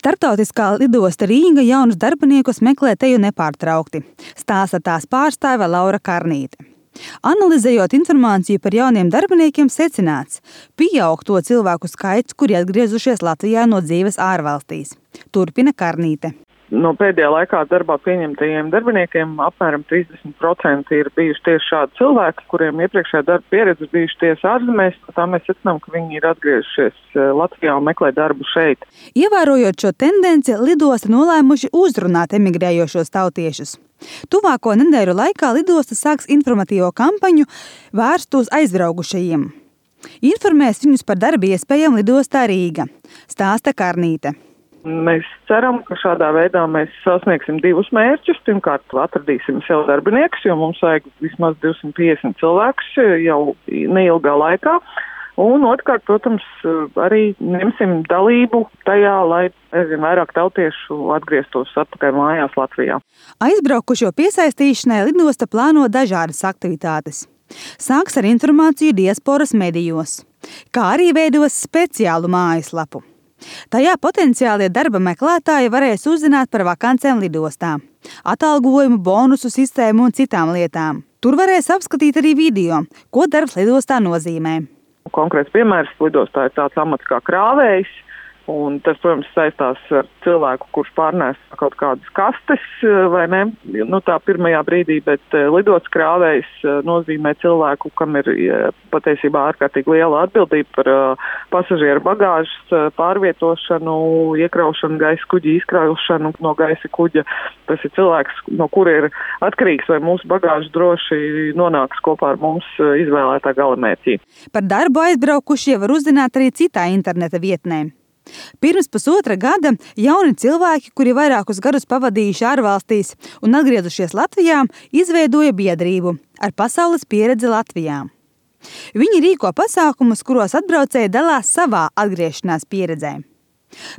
Startautiskā lidosta Rīga jaunus darbiniekus meklē teju nepārtraukti, stāsta tās pārstāve Laura Karnīte. Analizējot informāciju par jauniem darbiniekiem, secināts, pieaug to cilvēku skaits, kuri atgriezušies Latvijā no dzīves ārvalstīs. Turpina Karnīte. No pēdējā laikā darbā pieņemtajiem darbiniekiem apmēram 30% ir bijuši tieši šādi cilvēki, kuriem iepriekšējā darba pieredze bijuši tieši ārzemēs. Tā mēs secinām, ka viņi ir atgriezušies Latvijā un meklē darbu šeit. Ievērojot šo tendenci, lidosta nolēmuši uzrunāt emigrējošos tautiešus. Tuvāko nedēļu laikā lidosta sāks informatīvo kampaņu vērstu uz aizbraukušajiem. Informēs viņus par darba iespējām lidostā Rīga, stāsta Karnīte. Mēs ceram, ka šādā veidā mēs sasniegsim divus mērķus. Pirmkārt, atradīsim sev darbiniekus, jo mums vajag vismaz 250 cilvēkus jau neilgā laikā. Un otrkārt, protams, arī ņemsim dalību tajā, lai aizvien vairāk tautiešu atgrieztos atpakaļ mājās Latvijā. Aizbraukušo piesaistīšanai lidosta plāno dažādas aktivitātes. Sāks ar informāciju diasporas medijos, kā arī veidos speciālu mājaslapu. Tajā potenciālie darba meklētāji varēs uzzināt par vakancēm lidostā, atalgojumu, bonusu sistēmu un citām lietām. Tur varēs apskatīt arī video, ko darbs lidostā nozīmē. Konkrēts piemērs lidostā ir tāds amats kā krāvējs. Un tas, protams, saistās ar cilvēku, kurš pārnēs kaut kādas kastes, vai ne? Tā pirmajā brīdī, bet lidotas krāvējs nozīmē cilvēku, kam ir patiesībā ārkārtīgi liela atbildība par pasažieru bagāžas pārvietošanu, iekraušanu gaisa kuģa, izkraušanu no gaisa kuģa. Tas ir cilvēks, no kura ir atkarīgs, vai mūsu bagāža droši nonāks kopā ar mums izvēlētā galamērķī. Par darbu aizbraukušie var uzzināt arī citā interneta vietnē. Pirms pusotra gada jauni cilvēki, kuri vairākus gadus pavadījuši ārvalstīs un atgriezušies Latvijā, izveidoja biedrību ar pasaules pieredzi Latvijā. Viņi rīko pasākumus, kuros atbraucēji dalās savā atgriešanās pieredzē.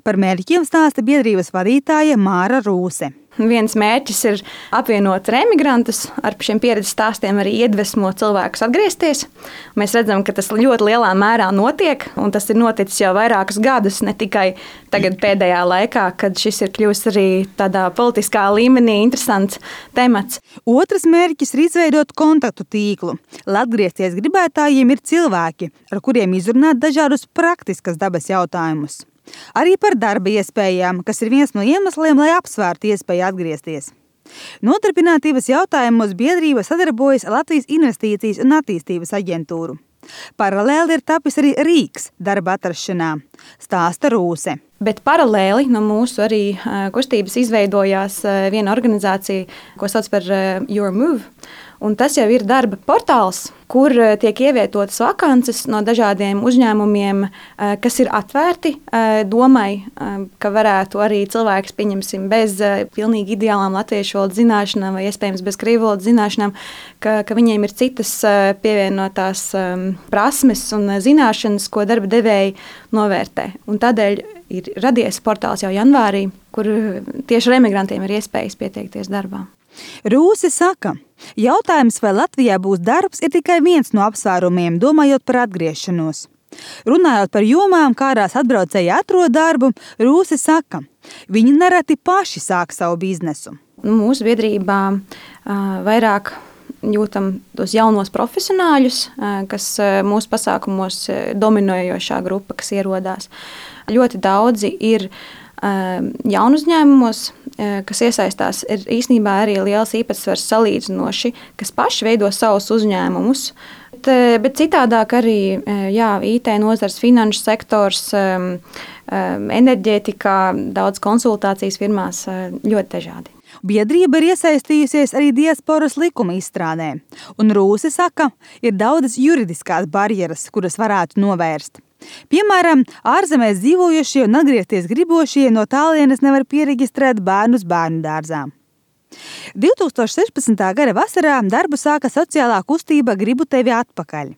Par mērķiem stāsta biedrības vadītāja Māra Rūse. Viens mērķis ir apvienot remigrantus, ar šiem pieredzes stāstiem arī iedvesmot cilvēkus atgriezties. Mēs redzam, ka tas ļoti lielā mērā notiek, un tas ir noticis jau vairākus gadus, ne tikai tagad pēdējā laikā, kad šis ir kļuvis arī tādā politiskā līmenī interesants temats. Otrs mērķis ir izveidot kontaktu tīklu, lai atgriezties gribētājiem ir cilvēki, ar kuriem izrunāt dažādus praktiskas dabas jautājumus. Arī par darba iespējām, kas ir viens no iemesliem, lai apsvērtu iespēju atgriezties. Nodarbinātības jautājumos biedrība sadarbojas ar Latvijas Investīcijas un attīstības aģentūru. Paralēli ir tapis arī rīks darba atrašanā, stāsta Rūse. Bet paralēli no mūsu arī kustības izveidojās viena organizācija, ko sauc par Your Move. Un tas jau ir darba portāls, kur tiek ievietotas vakances no dažādiem uzņēmumiem, kas ir atvērti domai, ka varētu arī cilvēks, pieņemsim, bez pilnīgi ideālām latviešu valodas zināšanām vai iespējams bez krievu valodas zināšanām, ka viņiem ir citas pievienotās prasmes un zināšanas, ko darba devēji novērtē. Un tādēļ ir radies portāls jau janvārī, kur tieši remigrantiem ir iespējas pieteikties darbā. Rūse saka, jautājums, vai Latvijā būs darbs, ir tikai viens no apsvērumiem, domājot par atgriešanos. Runājot par jomām, kādās atbraucēji atrod darbu, Rūse saka, viņi nereti paši sāk savu biznesu. Mūsu biedrībā vairāk jūtam tos jaunos profesionāļus, kas mūsu pasākumos dominējošā grupa, kas ierodās. Ļoti daudzi ir jaunu uzņēmumos, kas iesaistās, ir īstenībā arī liels īpatsvars salīdzinoši, kas paši veido savus uzņēmumus. Bet citādāk arī IT nozars, finanšu sektors, enerģētikā, daudz konsultācijas firmās, ļoti dažādi. Biedrība ir iesaistījusies arī diasporas likuma izstrādē, un Rūse saka, ir daudzas juridiskās barjeras, kuras varētu novērst. Piemēram, ārzemēs dzīvojošie un atgriezties gribošie no tālienes nevar pieregistrēt bērnus bērnu dārzā. 2016. gada vasarā darbu sāka sociālā kustība Gribu tevi atpakaļ.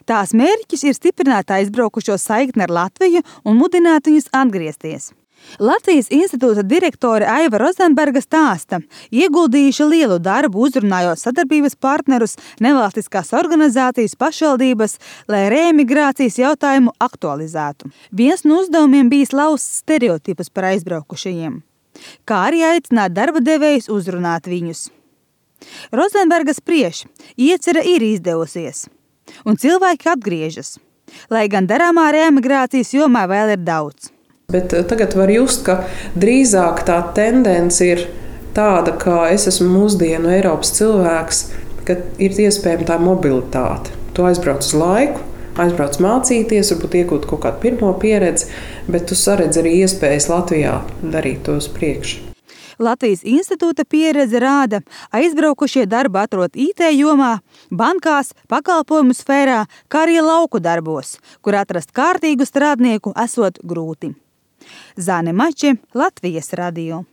Tās mērķis ir stiprināt aizbraukušo saikni ar Latviju un mudināt viņus atgriezties. Latvijas institūta direktore Aiva Rozenberga stāsta, ieguldījuši lielu darbu uzrunājot sadarbības partnerus, nevalstiskās organizācijas, pašvaldības, lai reemigrācijas jautājumu aktualizētu. Viens no uzdevumiem bijis laust stereotipus par aizbraukušajiem, kā arī aicināt darba devējus uzrunāt viņus. Rozenberga spriež, iecerē ir izdevusies, un cilvēki atgriežas, lai gan darāmā reemigrācijas jomā vēl ir daudz. Bet tagad var just, ka drīzāk tā tendence ir tāda, ka es esmu mūsdienu Eiropas cilvēks, ka ir iespējama tā mobilitāte. Tu aizbrauc uz laiku, aizbrauc mācīties, varbūt iegūt kaut kādu pirmo pieredzi, bet tu saredz arī iespējas Latvijā darīt to uz priekšu. Latvijas institūta pieredze rāda, aizbraukušie darbu atrod IT jomā, bankās, pakalpojumu sfērā, kā arī lauku darbos, kur atrast kārtīgu strādnieku esot grūti. Zane Mače, Latvijas radio.